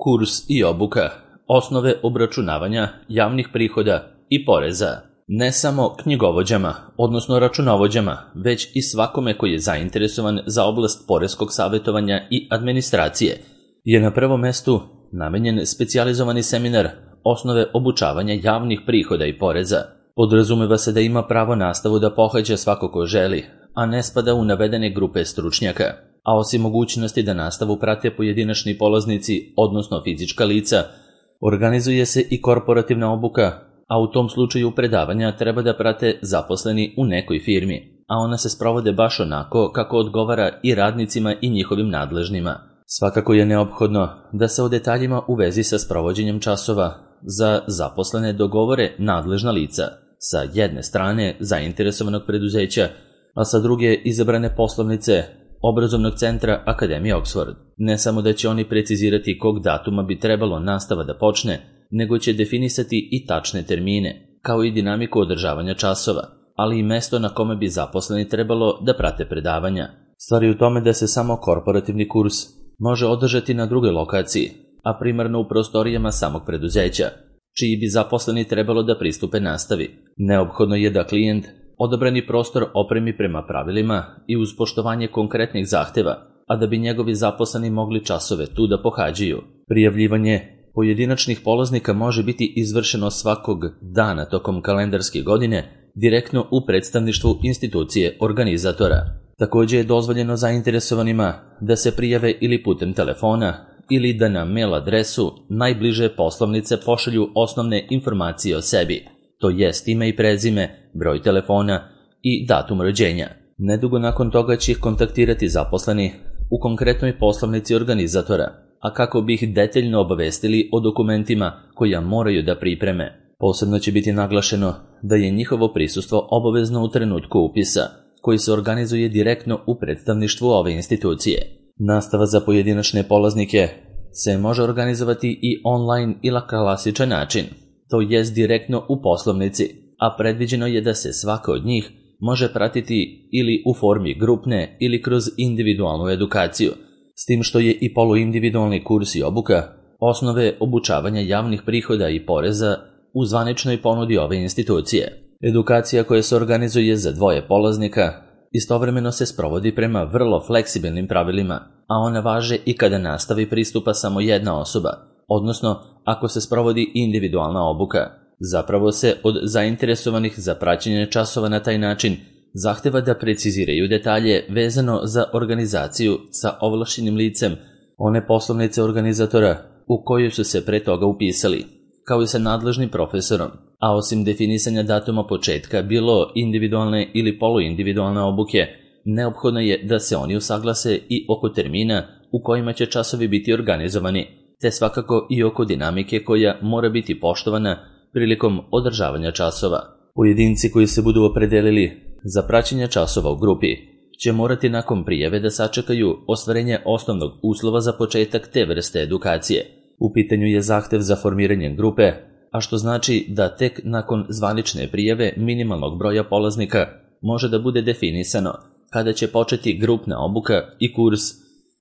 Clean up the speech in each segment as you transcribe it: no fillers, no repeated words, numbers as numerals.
Kurs i obuka, osnove obračunavanja javnih prihoda i poreza. Ne samo knjigovođama, odnosno računovođama, već i svakome koji je zainteresovan za oblast poreskog savjetovanja i administracije, je na prvom mestu namenjen specijalizovani seminar Osnove obučavanja javnih prihoda i poreza. Podrazumeva se da ima pravo nastavu da pohađa svako ko želi, a ne spada u navedene grupe stručnjaka. A osim mogućnosti da nastavu prate pojedinačni polaznici, odnosno fizička lica, organizuje se i korporativna obuka, a u tom slučaju predavanja treba da prate zaposleni u nekoj firmi, a ona se sprovode baš onako kako odgovara i radnicima i njihovim nadležnima. Svakako je neophodno da se o detaljima u vezi sa sprovođenjem časova za zaposlene dogovore nadležna lica, sa jedne strane zainteresovanog preduzeća, a sa druge izabrane poslovnice obrazovnog centra Akademije Oxford. Ne samo da će oni precizirati kog datuma bi trebalo nastava da počne, nego će definisati i tačne termine, kao i dinamiku održavanja časova, ali i mesto na kome bi zaposleni trebalo da prate predavanja. Stvar je u tome da se samo korporativni kurs može održati na drugoj lokaciji, a primarno u prostorijama samog preduzeća, čiji bi zaposleni trebalo da pristupe nastavi. Neophodno je da klijent odabrani prostor opremi prema pravilima i uz poštovanje konkretnih zahteva, a da bi njegovi zaposleni mogli časove tu da pohađaju. Prijavljivanje pojedinačnih polaznika može biti izvršeno svakog dana tokom kalendarske godine direktno u predstavništvu institucije organizatora. Također je dozvoljeno zainteresovanima da se prijave ili putem telefona ili da na mail adresu najbliže poslovnice pošalju osnovne informacije o sebi, to jest ime i prezime, broj telefona i datum rođenja. Nedugo nakon toga će ih kontaktirati zaposleni u konkretnoj poslovnici organizatora, a kako bi ih detaljno obavestili o dokumentima koja moraju da pripreme. Posebno će biti naglašeno da je njihovo prisustvo obavezno u trenutku upisa, koji se organizuje direktno u predstavništvu ove institucije. Nastava za pojedinačne polaznike se može organizovati i online ili na klasičan način, to jest direktno u poslovnici, a predviđeno je da se svaka od njih može pratiti ili u formi grupne ili kroz individualnu edukaciju, s tim što je i poluindividualni kurs i obuka osnove obučavanja javnih prihoda i poreza u zvaničnoj ponudi ove institucije. Edukacija koja se organizuje za dvoje polaznika istovremeno se sprovodi prema vrlo fleksibilnim pravilima, a ona važe i kada nastavi pristupa samo jedna osoba, odnosno ako se sprovodi individualna obuka. Zapravo se od zainteresovanih za praćenje časova na taj način zahteva da preciziraju detalje vezano za organizaciju sa ovlašćenim licem one poslovnice organizatora u koju su se pre toga upisali, kao i sa nadležnim profesorom, a osim definisanja datuma početka bilo individualne ili poluindividualne obuke, neophodno je da se oni usaglase i oko termina u kojima će časovi biti organizovani, te svakako i oko dinamike koja mora biti poštovana prilikom održavanja časova. Pojedinci koji se budu opredelili za praćenje časova u grupi će morati nakon prijave da sačekaju ostvarenje osnovnog uslova za početak te vrste edukacije. U pitanju je zahtev za formiranje grupe, a što znači da tek nakon zvanične prijave minimalnog broja polaznika može da bude definisano kada će početi grupna obuka i kurs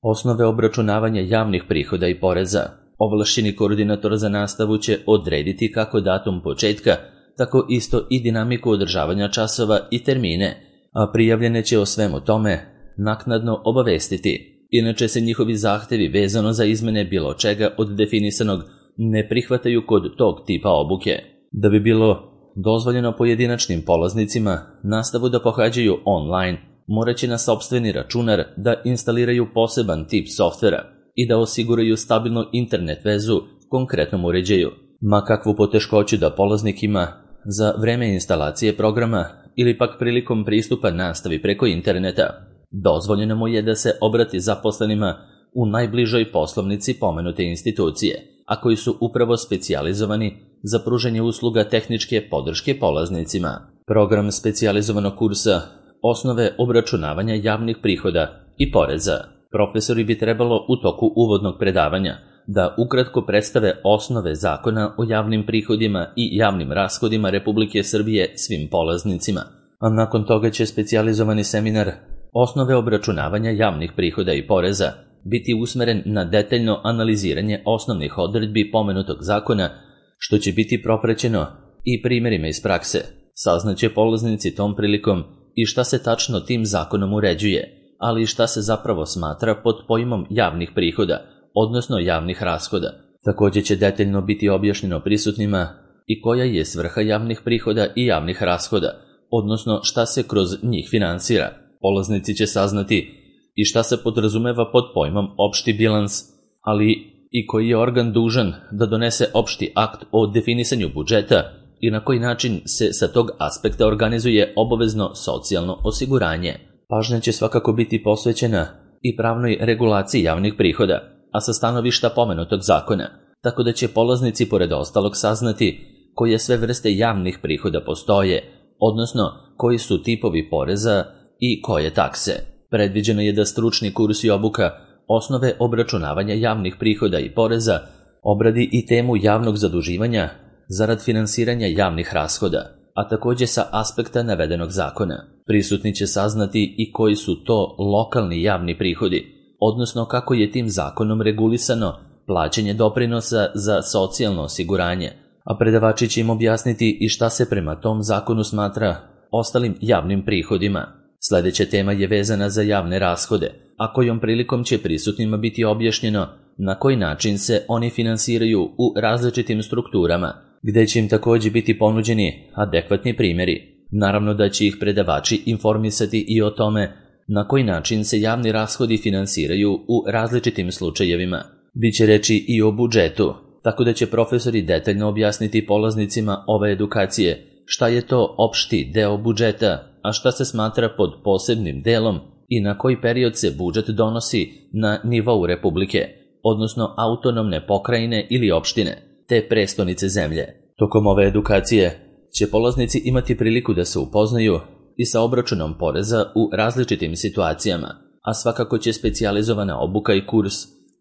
osnove obračunavanja javnih prihoda i poreza. Ovlašćeni koordinator za nastavu će odrediti kako datum početka, tako isto i dinamiku održavanja časova i termine, a prijavljene će o svemu tome naknadno obavestiti. Inače se njihovi zahtevi vezano za izmene bilo čega od definisanog ne prihvataju kod tog tipa obuke. Da bi bilo dozvoljeno pojedinačnim polaznicima nastavu da pohađaju online, morat će na sopstveni računar da instaliraju poseban tip softvera i da osiguraju stabilnu internet vezu konkretnom uređaju. Ma kakvu poteškoću da polaznik ima za vreme instalacije programa ili pak prilikom pristupa nastavi preko interneta, dozvoljeno mu je da se obrati zaposlenima u najbližoj poslovnici pomenute institucije, a koji su upravo specijalizovani za pružanje usluga tehničke podrške polaznicima. Program specijalizovanog kursa Osnove obračunavanja javnih prihoda i poreza. Profesori bi trebalo u toku uvodnog predavanja da ukratko predstave osnove zakona o javnim prihodima i javnim rashodima Republike Srbije svim polaznicima, a nakon toga će specijalizovani seminar Osnove obračunavanja javnih prihoda i poreza biti usmeren na detaljno analiziranje osnovnih odredbi pomenutog zakona, što će biti propraćeno i primjerima iz prakse. Saznaće polaznici tom prilikom i šta se tačno tim zakonom uređuje, ali i šta se zapravo smatra pod pojmom javnih prihoda, odnosno javnih rashoda. Također će detaljno biti objašnjeno prisutnima i koja je svrha javnih prihoda i javnih rashoda, odnosno šta se kroz njih finansira. Polaznici će saznati i šta se podrazumeva pod pojmom opšti bilans, ali i koji je organ dužan da donese opšti akt o definisanju budžeta i na koji način se sa tog aspekta organizuje obavezno socijalno osiguranje. Pažnja će svakako biti posvećena i pravnoj regulaciji javnih prihoda, a sa stanovišta pomenutog zakona, tako da će polaznici pored ostalog saznati koje sve vrste javnih prihoda postoje, odnosno koji su tipovi poreza i koje takse. Predviđeno je da stručni kurs i obuka osnove obračunavanja javnih prihoda i poreza obradi i temu javnog zaduživanja zarad finansiranja javnih rashoda, a također sa aspekta navedenog zakona. Prisutni će saznati i koji su to lokalni javni prihodi, odnosno kako je tim zakonom regulisano plaćanje doprinosa za socijalno osiguranje, a predavači će im objasniti i šta se prema tom zakonu smatra ostalim javnim prihodima. Sljedeća tema je vezana za javne rashode, a kojom prilikom će prisutnima biti objašnjeno na koji način se oni finansiraju u različitim strukturama, gdje će im također biti ponuđeni adekvatni primjeri. Naravno da će ih predavači informisati i o tome na koji način se javni rashodi finansiraju u različitim slučajevima. Biće reći i o budžetu, tako da će profesori detaljno objasniti polaznicima ove edukacije šta je to opšti deo budžeta, a šta se smatra pod posebnim delom i na koji period se budžet donosi na nivou Republike, odnosno autonomne pokrajine ili opštine, te prestonice zemlje. Tokom ove edukacije će polaznici imati priliku da se upoznaju i sa obračunom poreza u različitim situacijama, a svakako će specijalizovana obuka i kurs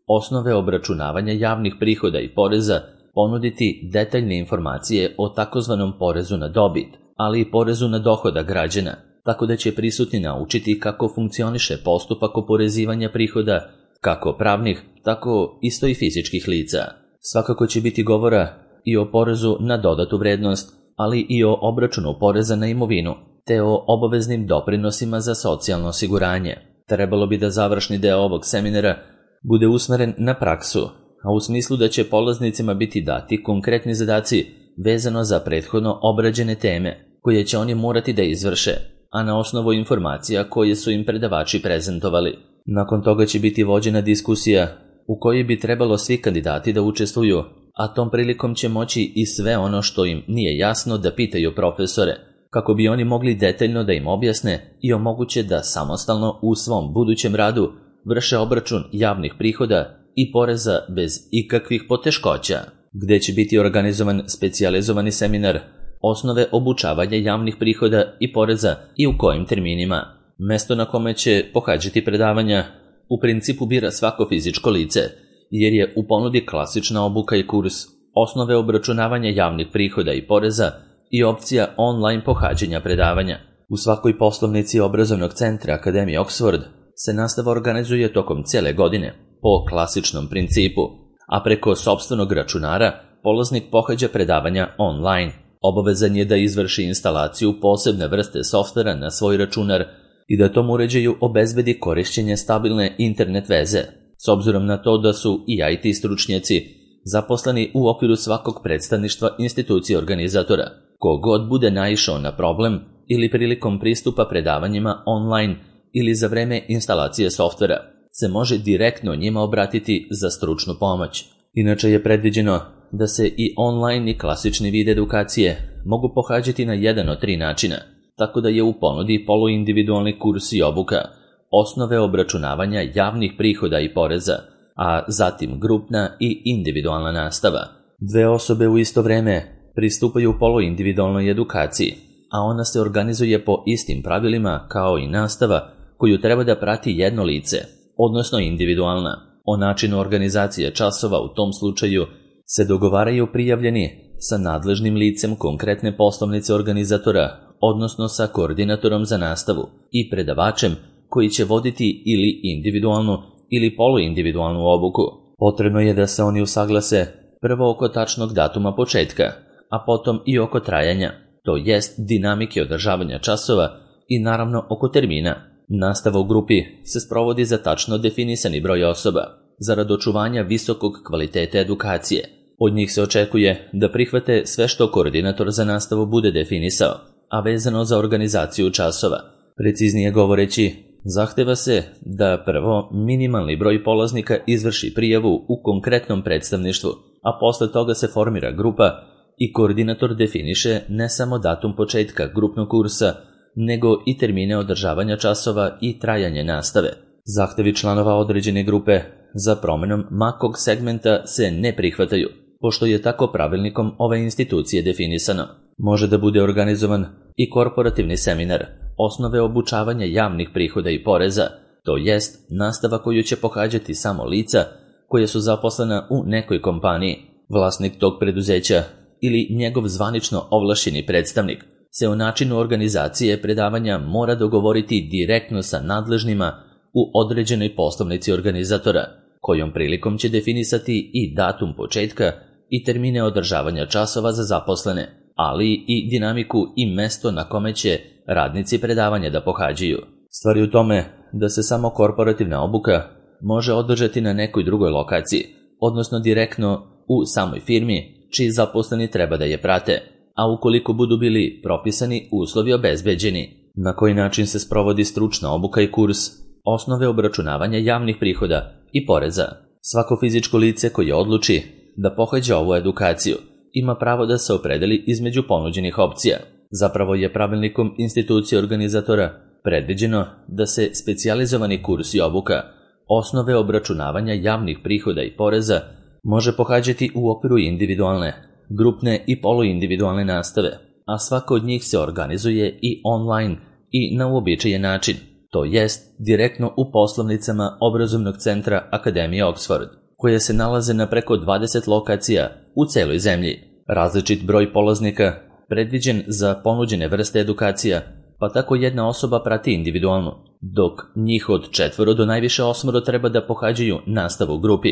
osnove obračunavanja javnih prihoda i poreza ponuditi detaljne informacije o takozvanom porezu na dobit, ali i porezu na dohodak građana, tako da će prisutni naučiti kako funkcioniše postupak oporezivanja prihoda, kako pravnih, tako isto i fizičkih lica. Svakako će biti govora i o porezu na dodatu vrednost, ali i o obračunu poreza na imovinu, te o obaveznim doprinosima za socijalno osiguranje. Trebalo bi da završni deo ovog seminara bude usmeren na praksu, a u smislu da će polaznicima biti dati konkretni zadaci vezano za prethodno obrađene teme, koje će oni morati da izvrše, a na osnovu informacija koje su im predavači prezentovali. Nakon toga će biti vođena diskusija u kojoj bi trebalo svi kandidati da učestvuju, a tom prilikom će moći i sve ono što im nije jasno da pitaju profesore, kako bi oni mogli detaljno da im objasne i omoguće da samostalno u svom budućem radu vrše obračun javnih prihoda i poreza bez ikakvih poteškoća, gdje će biti organizovan specijalizovani seminar osnove obučavanja javnih prihoda i poreza i u kojim terminima. Mesto na kome će pohađati predavanja u principu bira svako fizičko lice, jer je u ponudi klasična obuka i kurs osnove obračunavanja javnih prihoda i poreza i opcija online pohađanja predavanja. U svakoj poslovnici obrazovnog centra Akademije Oxford se nastava organizuje tokom cijele godine po klasičnom principu, a preko sopstvenog računara polaznik pohađa predavanja online. Obavezan je da izvrši instalaciju posebne vrste softvera na svoj računar i da tom uređaju obezbedi korišćenje stabilne internet veze, s obzirom na to da su i IT stručnjaci zaposleni u okviru svakog predstavništva institucije organizatora. Kogod bude naišao na problem ili prilikom pristupa predavanjima online ili za vreme instalacije softvera, se može direktno njima obratiti za stručnu pomoć. Inače je predviđeno da se i online i klasični vid edukacije mogu pohađati na jedan od 3 načina, tako da je u ponudi poluindividualni kurs i obuka, osnove obračunavanja javnih prihoda i poreza, a zatim grupna i individualna nastava. 2 osobe u isto vreme pristupaju poluindividualnoj edukaciji, a ona se organizuje po istim pravilima kao i nastava koju treba da prati jedno lice, odnosno individualna. O načinu organizacije časova u tom slučaju se dogovaraju prijavljeni sa nadležnim licem konkretne poslovnice organizatora, odnosno sa koordinatorom za nastavu i predavačem koji će voditi ili individualnu ili poluindividualnu obuku. Potrebno je da se oni usaglase prvo oko tačnog datuma početka, a potom i oko trajanja, to jest dinamike održavanja časova i naravno oko termina. Nastava u grupi se sprovodi za tačno definisani broj osoba, zarad očuvanja visokog kvaliteta edukacije. Od njih se očekuje da prihvate sve što koordinator za nastavu bude definisao, a vezano za organizaciju časova. Preciznije govoreći, zahteva se da prvo minimalni broj polaznika izvrši prijavu u konkretnom predstavništvu, a posle toga se formira grupa i koordinator definiše ne samo datum početka grupnog kursa, nego i termine održavanja časova i trajanje nastave. Zahtevi članova određene grupe za promenom makog segmenta se ne prihvataju, pošto je tako pravilnikom ove institucije definisano. Može da bude organizovan i korporativni seminar, osnove obučavanja javnih prihoda i poreza, to jest nastava koju će pohađati samo lica koje su zaposlena u nekoj kompaniji. Vlasnik tog preduzeća ili njegov zvanično ovlašćeni predstavnik se o načinu organizacije predavanja mora dogovoriti direktno sa nadležnima u određenoj poslovnici organizatora, kojom prilikom će definisati i datum početka i termine održavanja časova za zaposlene, ali i dinamiku i mesto na kome će radnici predavanja da pohađaju. Stvar je u tome da se samo korporativna obuka može održati na nekoj drugoj lokaciji, odnosno direktno u samoj firmi čiji zaposleni treba da je prate, a ukoliko budu bili propisani uslovi obezbeđeni. Na koji način se sprovodi stručna obuka i kurs, osnove obračunavanja javnih prihoda i poreza. Svako fizičko lice koje odluči da pohađa ovu edukaciju ima pravo da se opredeli između ponuđenih opcija. Zapravo je pravilnikom institucije organizatora predviđeno da se specijalizovani kurs i obuka, osnove obračunavanja javnih prihoda i poreza, može pohađati u okviru individualne, grupne i poluindividualne nastave, a svaka od njih se organizuje i online i na uobičajen način, to jest direktno u poslovnicama obrazovnog centra Akademije Oxford, koje se nalaze na preko 20 lokacija u celoj zemlji. Različit broj polaznika predviđen za ponuđene vrste edukacija, pa tako jedna osoba prati individualno, dok njih od 4 do najviše 8 treba da pohađaju nastavu u grupi,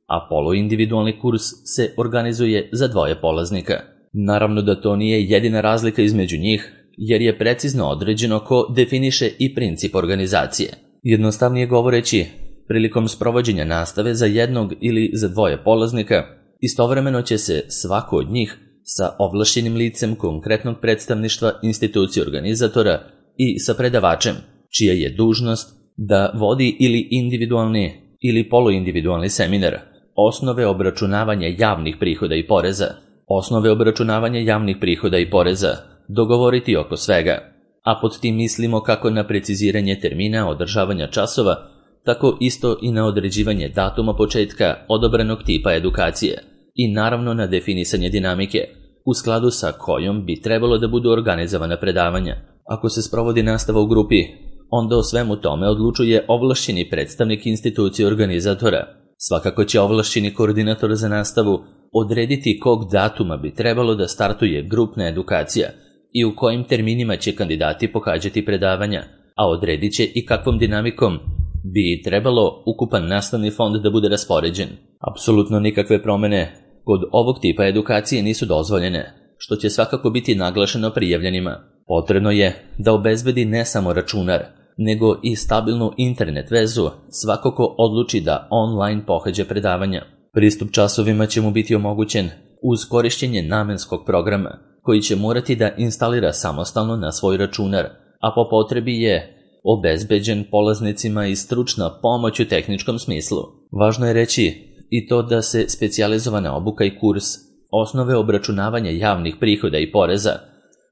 a poluindividualni kurs se organizuje za 2 polaznika. Naravno da to nije jedina razlika između njih, jer je precizno određeno ko definiše i princip organizacije. Jednostavnije govoreći, prilikom sprovođenja nastave za jednog ili za 2 polaznika, istovremeno će se svako od njih sa ovlašćenim licem konkretnog predstavništva institucije organizatora i sa predavačem, čija je dužnost da vodi ili individualni ili poluindividualni seminar, osnove obračunavanja javnih prihoda i poreza. Osnove obračunavanja javnih prihoda i poreza, dogovoriti oko svega, a pod tim mislimo kako na preciziranje termina održavanja časova, tako isto i na određivanje datuma početka odobrenog tipa edukacije i naravno na definisanje dinamike, u skladu sa kojom bi trebalo da budu organizovana predavanja. Ako se sprovodi nastava u grupi, onda o svemu tome odlučuje ovlašćeni predstavnik institucije organizatora. Svakako će ovlašćeni koordinator za nastavu odrediti kog datuma bi trebalo da startuje grupna edukacija i u kojim terminima će kandidati pohađati predavanja, a odredit će i kakvom dinamikom bi trebalo ukupan nastavni fond da bude raspoređen. Apsolutno nikakve promene kod ovog tipa edukacije nisu dozvoljene, što će svakako biti naglašeno prijavljenima. Potrebno je da obezbedi ne samo računar, nego i stabilnu internet vezu svako ko odluči da online pohađa predavanja. Pristup časovima će mu biti omogućen uz korišćenje namenskog programa, koji će morati da instalira samostalno na svoj računar, a po potrebi je obezbeđen polaznicima i stručna pomoć u tehničkom smislu. Važno je reći i to da se specijalizovana obuka i kurs, osnove obračunavanja javnih prihoda i poreza,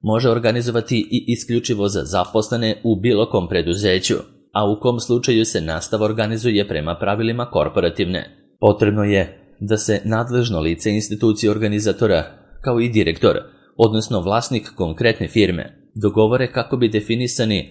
može organizovati i isključivo za zaposlene u bilo kom preduzeću, a u kom slučaju se nastava organizuje prema pravilima korporativne. Potrebno je da se nadležno lice institucije organizatora, kao i direktor, odnosno vlasnik konkretne firme, dogovore kako bi definisani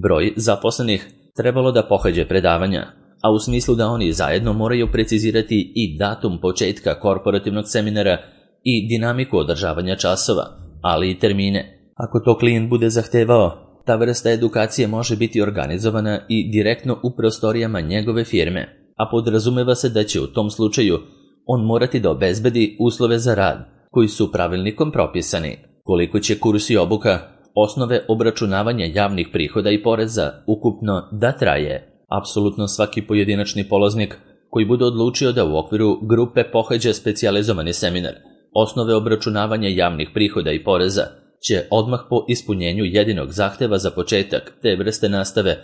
broj zaposlenih trebalo da pohađe predavanja, a u smislu da oni zajedno moraju precizirati i datum početka korporativnog seminara i dinamiku održavanja časova, ali i termine. Ako to klijent bude zahtevao, ta vrsta edukacije može biti organizovana i direktno u prostorijama njegove firme. a podrazumeva se da će u tom slučaju on morati da obezbedi uslove za rad koji su pravilnikom propisani. Koliko će kurs i obuka osnove obračunavanja javnih prihoda i poreza ukupno da traje? Apsolutno svaki pojedinačni polaznik koji bude odlučio da u okviru grupe pohađa specijalizovani seminar osnove obračunavanja javnih prihoda i poreza će odmah po ispunjenju jedinog zahteva za početak te vrste nastave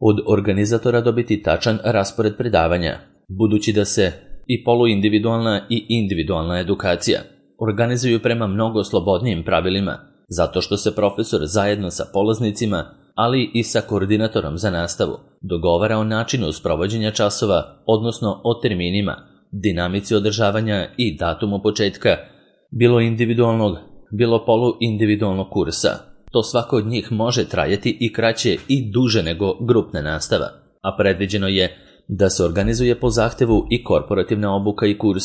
od organizatora dobiti tačan raspored predavanja, budući da se i poluindividualna i individualna edukacija organizuju prema mnogo slobodnijim pravilima, zato što se profesor zajedno sa polaznicima, ali i sa koordinatorom za nastavu, dogovara o načinu sprovođenja časova, odnosno o terminima, dinamici održavanja i datumu početka, bilo individualnog, bilo poluindividualnog kursa. To svako od njih može trajati i kraće i duže nego grupna nastava, a predviđeno je da se organizuje po zahtevu i korporativna obuka i kurs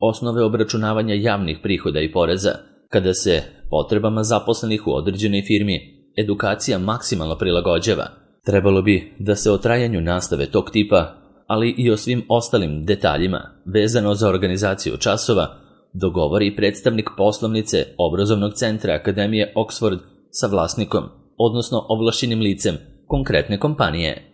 osnove obračunavanja javnih prihoda i poreza, kada se potrebama zaposlenih u određenoj firmi edukacija maksimalno prilagođava. Trebalo bi da se o trajanju nastave tog tipa, ali i o svim ostalim detaljima vezano za organizaciju časova, dogovori predstavnik poslovnice obrazovnog centra Akademije Oxford sa vlasnikom, odnosno ovlašćenim licem konkretne kompanije.